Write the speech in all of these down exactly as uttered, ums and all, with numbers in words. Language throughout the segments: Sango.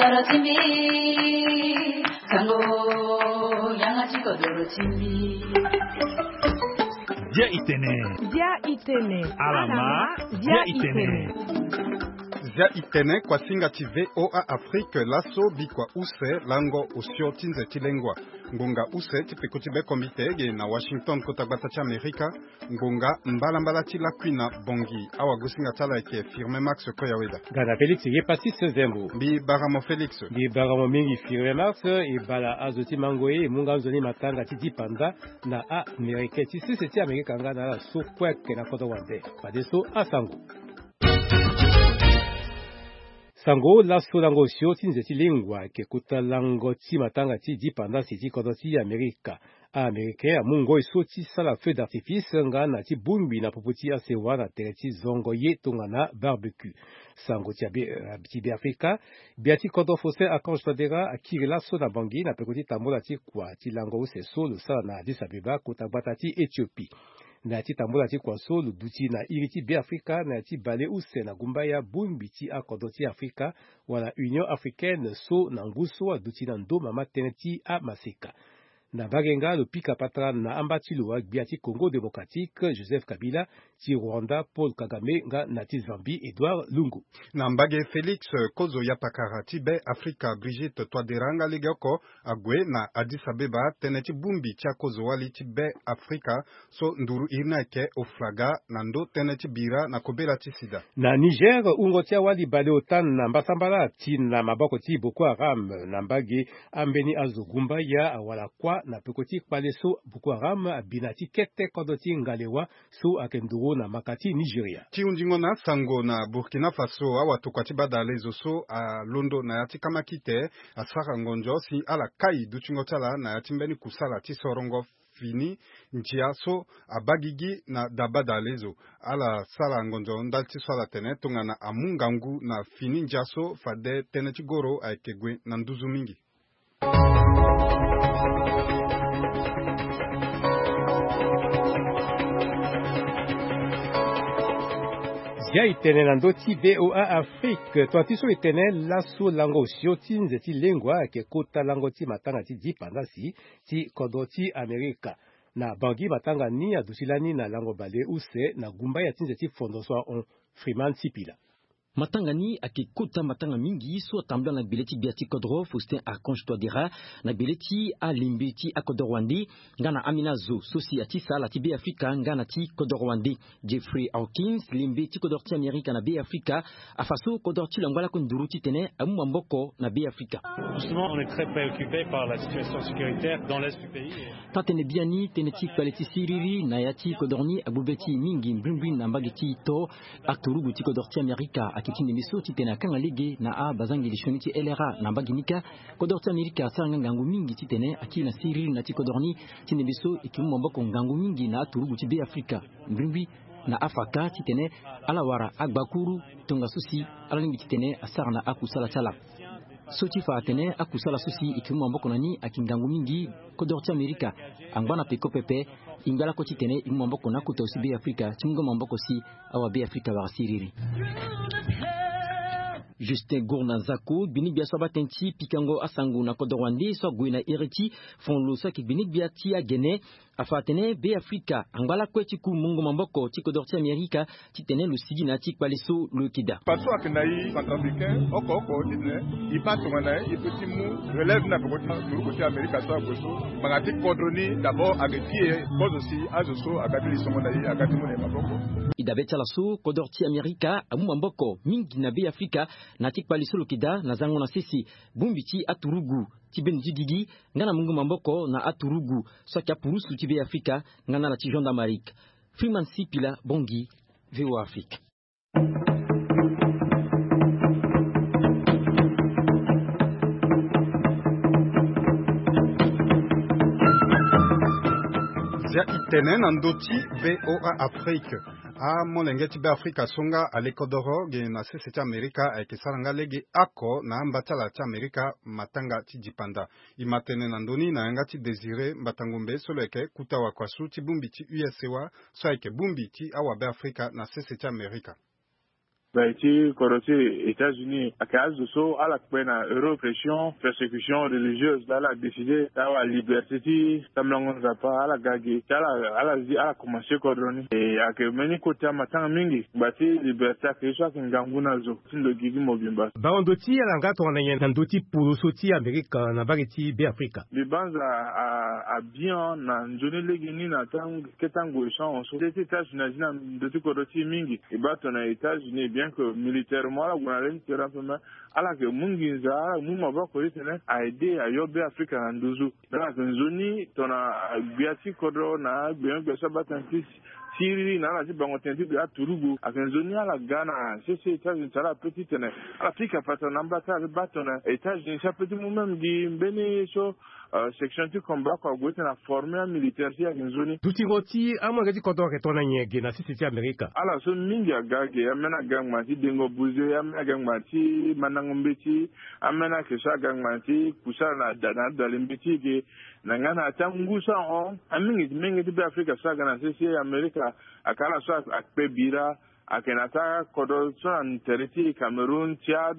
Dia itene. Dia itene. Alama. Dia itene. Dia itene, kuasinga ti VOA Afrique laso, bikua use lango osio ti nze ti lengua. Ngonga use ti peko ti be komite ge na Washington, kota gbata ti Amerika. Ngonga mbalambala ti lakui na Bongi. Awagosinga ti ala ayeke Firmin Max Koyaweda. Nga na Félix Yepasis Zembo. Mbi bara mo Félix. Mbi bara mo mingi Firmin Max. E bala azo ti mango ye e mu nga nzoni matanga ti dipanda na Amerika, ti sese ti Amerika nga na ala so kue ayeke na kodro wande. Fadeso asango. Sango laso lango osio ti nze ti lengua ayeke kota lango ti matanga ti dipandasi ti kodro ti Amerika. A-Américain amu ngoi so ti sara feu d'artifice nga na ti bongbi na popo ti asewa na tere ti zongo ye tongana barbecue. Sango ti abe, eh, ti Beafrika, gbia ti kodro Faustin Archange Touadéra akiri laso na Bangui na peko ti tambula ti kua ti lango use so lo sara na Addis Abeba, kota gbata ti Éthiopie. Na ya ti tambula ti kua so lo duti na iri ti Beafrika na ya ti bale use na gumbaya bongbi ti akodro ti Afrika wala Union Africaine so na ngu so aduti na ndo mama tënë ti amaseka. Na mbage nga lo pika patara na amba ti lo agbia ti Congo Démocratique Joseph Kabila, ti Rwanda Paul Kagame nga na ti Zambie Edouard Lungu. Na mbage Félix, kozo yapakara ti Be Afrika Brigitte Touadéra nga legeoko ague na Addis Abeba tënë ti bongbi ti akozo wali ti Be Afrika so nduru iri ni ayeke Oflaga na ndo tënë ti bira na kobela ti sida. Na Niger, wungo ti awali baleota na mbasambala ti na maboko ti Boko Haram na mbage ambeni azo gumbaya awara kuâ na peko ti kpale so Boko Haram abi na ti kete kodro ti Ngalewa so ayeke nduru na maka ti Nigeria. Ti hundingo na asango na Burkina Faso, awatokua ti badalezo so alondo na ya ti kamakite asara ngonzo si ala kai dutingo ti ala na ya ti mbeni kusala ti sorongo fini ndia so abaa gigi na da badalezo. Ala sara ngonzo ndali ti so ala tene tongana amu ngangu na fini ndia so fade tënë ti goro ayeke gue na nduzu mingi. Zia e tene na ndö ti VOA Afrique, tonga ti so e tene laso lango osio ti nze ti lengua ayeke kota lango ti matanga ti dipandasi ti kodro ti Amerika. Na Bangui matanga ni aduti lani na lango bale use na gumbaya ti nze ti fondo so ahon. Freeman Sipila. Matanga ni ayeke kota matanga mingi so atambula na gbele ti gbia ti kodro Faustin Archange Touadéra, na gbele ti alembe ti akodro wande, nga na ambeni azo so si ati sala ti Be Afrika nga na ti kodro wande. Jeffrey Hawkins, lembe ti kodro ti Amerika na Be Afrika, afa so kodro ti lo angba lakue nduru titene amu maboko na Be Afrika. Justement, on est très préoccupé par la situation sécuritaire dans l'est du pays. Taa-tënë biani, tënë ti kpale ti siriri na ya ti kodro ni agbu be ti e mingi, mbrimbri na mbage ti e to. Aturugu ti kodro ti Amerika ayeke ti ndembe so titene akanga lege na abazangeli sioni ti L R A na mbage ni kâ. Kodro ti Amerika asara nga ngangu mingi titene akiri na siriri na ya ti kodro ni, ti ndembe so e yeke mu maboko ngangu mingi na aturugu ti Be Afrika, mbrimbri na afa kâ titene ala wara agbakuru tongaso si ala lingbi titene asara na akusala ti ala. So ti fa atene akusala so si e yeke mu maboko na ni ayeke ngangu mingi. Kodro ti Amerika angba na peko pepe. E ngba lakue titene e mu maboko na akota aussi Be Afrika ti mu nga maboko si awa Be Afrika wara siriri. Justin Gourna Zako, gbinigbia so abaa tënë ti pikango asango na kodro wande so ague na iri ti fon lo so ayeke gbinigbia ti agene, afa atene Be Afrika angba lakue ti ku mungo maboko ti kodro ti Amerika titene lo sigi na ya ti kpale so lo yeke daa. Faso ayeke na e centrafricain oko oko titene e baa tongana e peut ti mu relève ni na peko ti turugu ti Amerika so ague so. Ngbanga ti kodro ni d'abord ayeke ti e kozo si azo so aga ti lisongo na e aga ti mu na e maboko. E dabe ti ala so kodro ti Amerika amu maboko mingi na Be Afrika na ya ti kpale so lo yeke daa na zango na sese. Bongbi ti aturugu ti bendo ti gigi nga na mungo maboko na aturugu so ayeke apurusu ti Be Afrika nga na ala ti gendarmerie. Freeman Sipila, Bangui, VOA Afrique. Zia e tene na ndö ti VOA Afrique. Amolenge ti Be Afrika so nga ale kodoro ge na sese ti Amerika ayeke sara nga lege oko na amba ti ala ti Amerika matanga ti dipanda. E ma tene na ndö ni na yanga ti Désiré Mbata-Ngombe so lo yeke kuta wakuasu ti bongbi ti U S A so ayeke bongbi ti awabe Afrika na sese ti Amerika. Gbai ti kodro ti États-Unis ayeke azo so ala kpe na euro pression persécution religieuse, ala décide ti awa liberté ti tambulango nzapa ala ga ge ti ala ala zi ala komanse kodro ni. E ayeke mbeni kota matanga mingi. Gba ti liberté ayeke ye so ayeke ngangu na zo ti ndo gigi mobimba. Bango ndo ti ala nga tongana nyen na ndo ti poro so ti Amerika na mbage ti Be Afrika? Mbi banza abien na nzoni lege ni na tango keta ngoi so ahon so nde ti États-Unis azi na ndo ti kodro ti e mingi. E baa tongana États-Unis bien que militairement ala gue na le ti terrain pe me ala yeke mu nginza ala mu maboko ti tene a aide ayo Be Afrika na nduzu. Donc ayeke nzoni tongana gbia ti kodro na agbenyogbia so abaa tënë ti siriri na ala ti bango tënë ti gbia aturugu ayeke nzoni ala ga na sese États-Unis ti ala pe ti tene ala pika patara na amba ti ala pe baa tongana États-Unis si ape ti mu même gi mbeni so section ti combat oko ague ti tene aforme amilitaire ti e ayeke nzoni. Dutingo ti amolenge ti kodro ayeke tongana nyen ge na sese ti Amerika? Ala so mingi aga ge, ambeni aga ngbanga ti dengo buze, ambeni aga ngbanga ti mandango mbeti, ambeni ayeke so aga ngbanga ti kusa na da na adali mbeti ge. Na nga na ata ngu so ahon, amingi ti menge ti Be Afrika so aga na sese Amerika ayeke ala so akpe bira. Ayeke na ata kodro so na tere ti Cameroun, Tchad,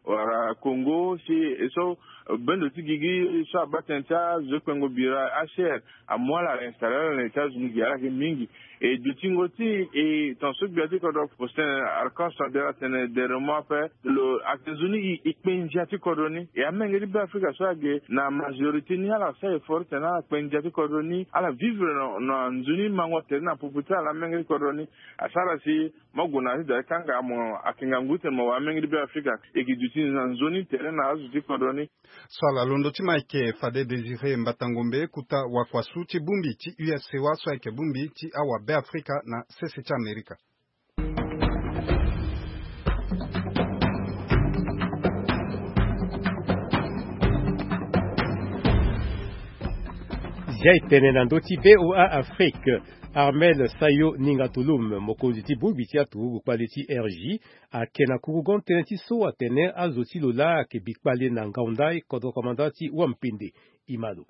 wala Congo si e so bendo ti gigi so abaa tënë ti azo ti kpengo bira, H R, amu ala ala installe ala na États-Unis gi ala yeke mingi. E dutingo ti e tongaso gbia ti kodro Faustin Archange Touadéra atene derrière moi ape lo ayeke nzoni e kpe ndia ti kodro ni. E amenge ti Be Afrika so age na majorité ni ala sara effort ti tene ala kpe ndia ti kodro ni ala vivre na nzoni mango tere na popo ti ala amenge ti kodro ni. Asara si mo gue na ya ti da ti kanga mo ayeke ngangu ti tene mo wara amenge ti Be Afrika e gi duti na nzoni tere na azo ti kodro ni. So ala londo ti mo ayeke fade Désiré Mbatangombe, kota wakua su ti bongbi ti U S C O A so ayeke bongbi ti awa Be Afrika na sese ti Amerika. Zia e tene na ndö ti V O A Afrique. Armel Sayo Ninga Tulum, mokonzi ti bongbi ti aturugu kpale ti R J, ayeke na kurugon tënë ti so atene azo ti lo laa ayeke bi kpale na ngaunda kodro komanda ti Wampende. Imalo.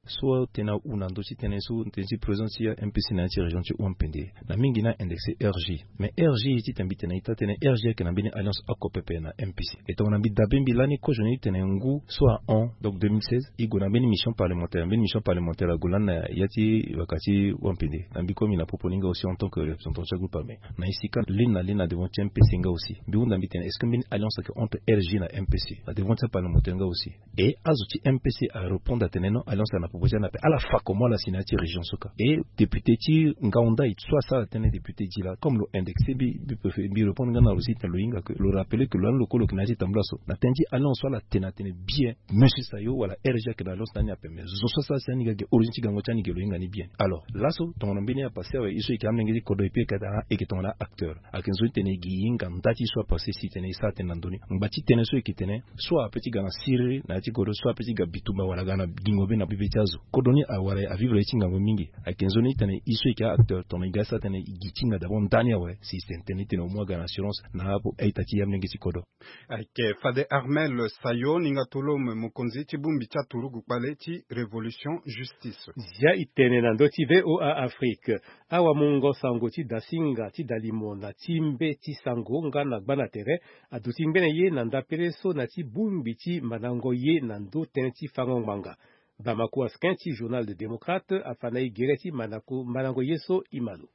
So atene ahu na ndö ti tënë so tënë ti président ti M P C na ya ti région ti Wampende na mingi ni a indexé R J. Mais R J ti tene mbi tene ita tene R J ayeke na mbeni alliance oko pepe na M P C. E tongana mbi dabe mbi lani kozo ni ti tene ngu so ahon, donc deux mille seize, e gue na mbeni mission parlementaire, mbeni mission parlementaire ague lani na ya ti baka ti Wampende. Na mbi komi na popo ni nga aussi en tant que représentant ti agroupe armé. Na e si ka lini na lini na devant ti M P C nga aussi. Mbi hunda mbi tene est-ce que mbeni alliance ayeke entre R J na M P C na devant ti aparlementaire nga aussi. E azo ti M P C arépondre atene non, alliance ayeke na popo ti ala na ape, ala fa comment ala si na ya ti région so ka. E député ti ngaunda e so asara tënë député ti la comme lo indexé mbi, mbi préféré mbi répondre nga na lo si tene lo hinga que lo rappelé que lo lani lo kue lo yeke na ya ti tambula so na tënë ti alliance so ala tene atene bien monsieur Sayo wala R J ayeke na alliance na ni ape, mais zo so asara si ani ga ge origine ti gango ti ani ge lo hinga ni bien. Alors laso tongana mbeni apassé awe e so e yeke amolenge ti kodro e puis e yeke tongana acteur. Ayeke nzoni tene e gi e hinga nda ti e so apassé si tene e sara tënë na ndö ni. Ngba ti tënë so e yeke tene so ape ti ga na siriri na ya ti kodro so ape ti ga bitumba wala aga na gingo be na bibe ti azo. Kodro ni awara avivre ye ti ngangu mingi. Ayeke nzoni ti tene e so e yeke a-acteur tongana e ga e sara tënë e gi ti hinga d'abord nda ni awe si e tene tënë ni tene au moins aga na assurance na apo a-ita ti amolenge ti kodro. Ayeke fade Armel Sayo Ninga Tulum, mokonzi ti bongbi ti aturugu kpale ti Révolution Justice. Zia e tene na ndö ti V O A Afrique. Awamungo sango ti dasinga ti dalimo na ti mbe ti sango nga na gba na tere aduti ngbene ye na ndapere so na ti bongbi ti mandango ye na ndö tënë ti fango ngbanga. Bamako Askin ti journal de Démocrate afa na e gere ti mandango ye so. Imalo.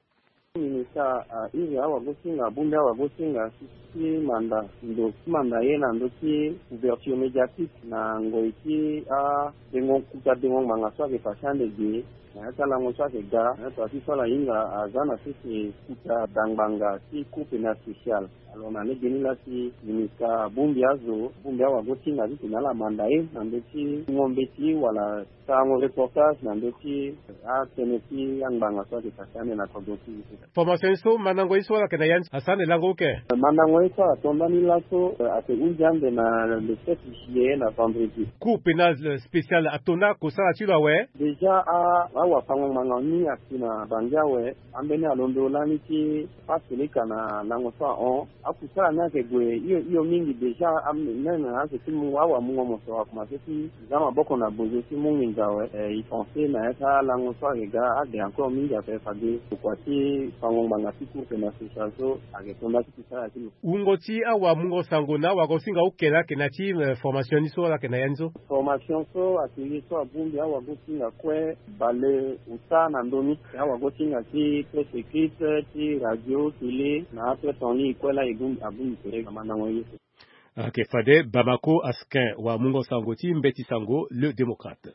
Ministre a iri awagosinga abongbi awagosinga ti manda ndo ti manda ye na ndö ti couverture médiatique na ngoi ti adengo kuta dengo ngbanga so ayeke pase ande ge na ya ti alango so ayeke ga na ya ti so ala hinga aza na sese kuta da ngbanga ti cour pénale spéciale. Alors na lege ni laa si ministre abongbi azo abongbi awagosinga ti tene ala manda ye na ndö ti ngo mbeti wala sarango reportage na ndö ti atënë ti angbanga so ayeke pase ande na kodro ti e. Formation ye so mandango ye so ala yeke na ya ni asara ande lango oke. Mandango ye so ato ndani laso ayeke hunzi ande na le sept juillet na vendredi. Cour pénale spéciale ato nda kosala ti lo awe. Déjà a Awafango-ngbanga ni asi na Bangi awe, ambeni alondo lani ti passe leka na lango so ahon. Akusala ni ayeke gue hio hio mingi déjà, même azo ti mu awamungo moso akomanse ti za maboko na bozo ti mu nginza awe. Eh, e pense na ya ti alango so ayeke ga ade encore mingi ape fade. Ndokua ti fango-ngbanga ti course na social so ayeke tonda ti kusala ti lo. Wungo ti awamungo sango na awagosinga oke laa ayeke na ya ti, eh, formation ni so laa ayeke na ya ni so. Formation so atelier so abongbi awagosinga kue bale ota na ndö ni. Awagosinga ti presse écrite, ti radio, télé na ape ton ni kue laa e bongbi, abongbi tere na mandango ye so. Ayeke fade Bamako Askin, wamungo sango ti mbeti sango Le Démocrate.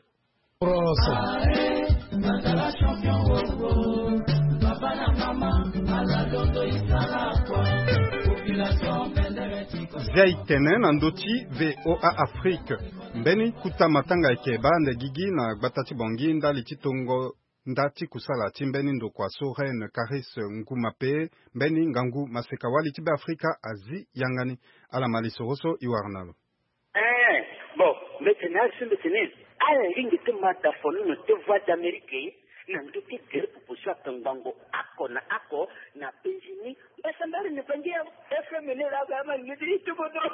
Zia e tene na ndö ti V O A Afrique. Mbeni kota matanga ayeke baa ande gigi na gbata ti Bangui ndali ti tongo nda ti kusala ti mbeni ndokua so Reine Caris Ngumape, mbeni ngangu maseka-wali ti Beafrika azi yanga ni. Ala ma lisoro so e wara na lo. Eh, bon, mbeti ni azo so mbeti ni ala lingbi ti ma da fo nono ti Voix d'Amérique na ndö ti gere popo so ayeke ngbongo oko na oko na penzi ni. Mbasambari ni bangi ya F M ni laa ga ama lingbi ti ti kodro.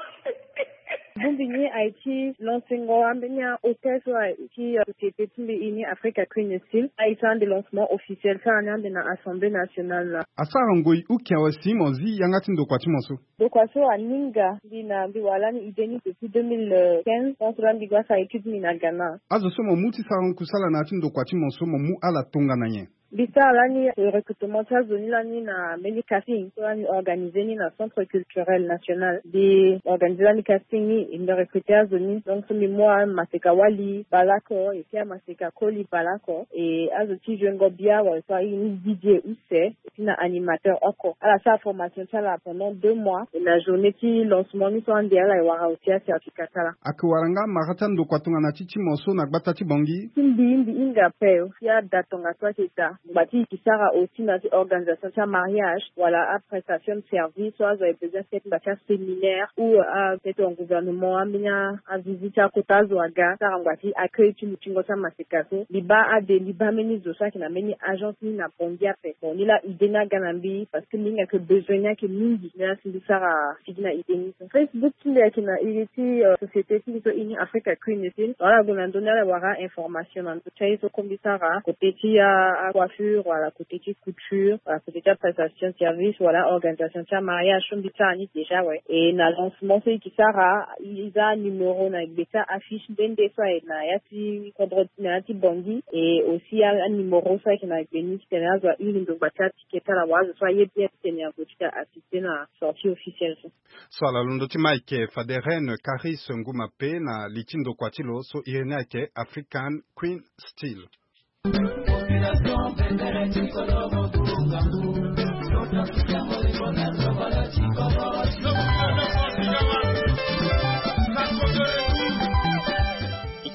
Bongbi ni aye ti lancengo ambeni ahôtel so aye ti, euh, société ti mbi ini Africa Queen Steel. Aye ti ande lancement officiel ti ala ni ande na Assemblée nationale laa. Asara ngoi uki awe si mo zi yanga ti ndokua ti mo so. Ndokua so aninga mbi na mbi wara lani idée ni depuis deux mille quinze, tant so laa mbi ga sara étude ni na Ghana. Azo so mo mu ti sara kusala na ya ti ndokua ti mo so mo mu ala tongana nyen? Mbi sara lani recrutement ti azo ni lani na mbeni casting so lani organisé ni na Centre Culturel National. Mbi organisé lani casting ni, e mbi recruté azo ni. Donc so mbi mu amaseka-wali baleoko, e si amaseka-koli baleoko, e azo ti jouengo bia wala so aye ni D J use, e si na animateur oko. Ala sara formation ti ala pendant deux mois. E na journée ti lancement ni so ande ala e wara aussi acertificat ti ala. Ayeke wara nga mara ti andokua tongana ti ti mo so na gbata ti Bangui? Ti mbi, mbi hinga ape. Ti ada tongaso ayeke daa. Ngbanga ti e ke sara aussi na ti organisation ti amariage wala aprestation de service so azo aye besoin ti fete ngbanga ti aséminaire ou, euh, a peut-être en gouvernement ambeni avisite ti akota azo aga sara ngbanga ti accueil ti lutingo ti amaseka so. Mbi baa ade, mbi baa mbeni zo so ayeke na mbeni agence ni na Bangui ape. Bon, ni laa idée ni aga na mbi parce que mbi hinga que besoin ni ayeke mingi. Ni laa si mbi sara sigi na idée ni so. Facebook ti mbi ayeke na iri ti, euh, société ti mbi so ini Africa Queen Steel. Wala gue na ndö ni ala wara information na ndö ti aye so kue mbi sara côté ti a, acoiffure wala côté ti couture wala côté ti aprestation service wala organisation ti amariage so mbi sara ni déjà awe. E na lancement so e ke sara, e za anuméro na gbe ti aaffiche nde nde so aye na ya ti kodro na ya ti Bangui. E aussi a, anuméro so ayeke na gbe ni titene azo ahiri ndo ngbanga ti aticket ti ala wala azo so aye bien titene ague ti ga assister na sortie officielle so. So ala londo ti ma ayeke fade Reine Caris Ngumape na li ti ndokua ti lo so iri ni ayeke African Queen Steel.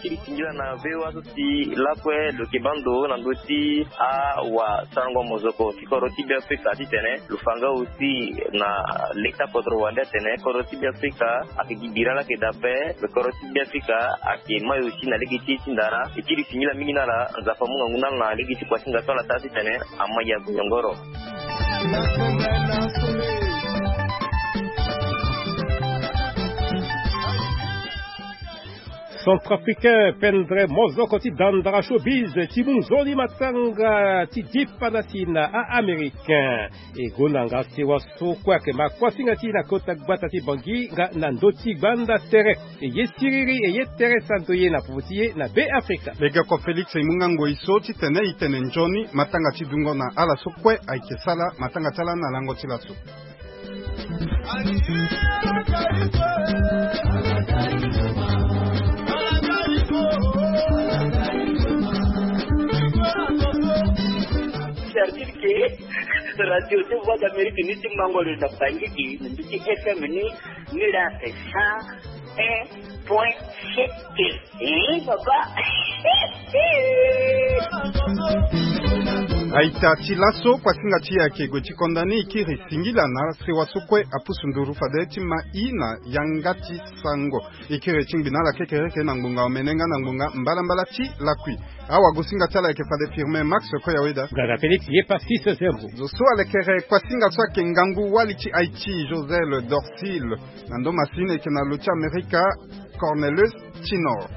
Ti singila na V O A so si lakue lo yeke baa ndo na ndö ti awasarango mozoko ti kodro ti Beafrika titene lo fa nga aussi na leta kodro wande atene kodro ti Beafrika ayeke gi bira laa ayeke daa ape. Kodro ti Beafrika ayeke mai aussi na lege ti e ti ndara. E kiri singila mingi na ala. Nzapa amu ngangu na ala na lege ti kua ti nga so ala taa titene ama ya gue nyongoro. Centrafricain Pendre Mozoko ti dandara showbiz ti mu nzoni matanga ti dipanda ti na a-Américain. E gonda nga sewa so kue ayeke ma kuasinga ti e na kota gbata ti Bangui nga na ndö ti gbanda tere. E ye siriri, e ye tere santo ye na popo ti e na Beafrika. Legeoko Félix e mu nga ngoi so titene e tene nzoni matanga ti dungo na ala so kue ayeke sala matanga ti ala na lango ti laso. Service ke radio ti Voix d'Amérique ni ti mango lo na Bangui na ndö ti F M ni, ni la cent un point sept. Eh, papa. Aita ti laso, kuasinga ti e ayeke gue ti konda ni. E kiri singila na sewa so kue apusu nduru fade ti ma i na yanga ti sango. E kiri ti ngbi na ala kekereke na ngbonga omene nga na ngbonga mbalambala ti lakui. Awagosinga ti ala ayeke fade Firmin Max Koyaweda. Gaza Félix, ye pa six zéro. Zo so alekere kuasinga so ayeke ngangu wali ti Haïti, Josel Dorcil. Na ndo masini ayeke na lo ti Amerika, Cornelius Tinor.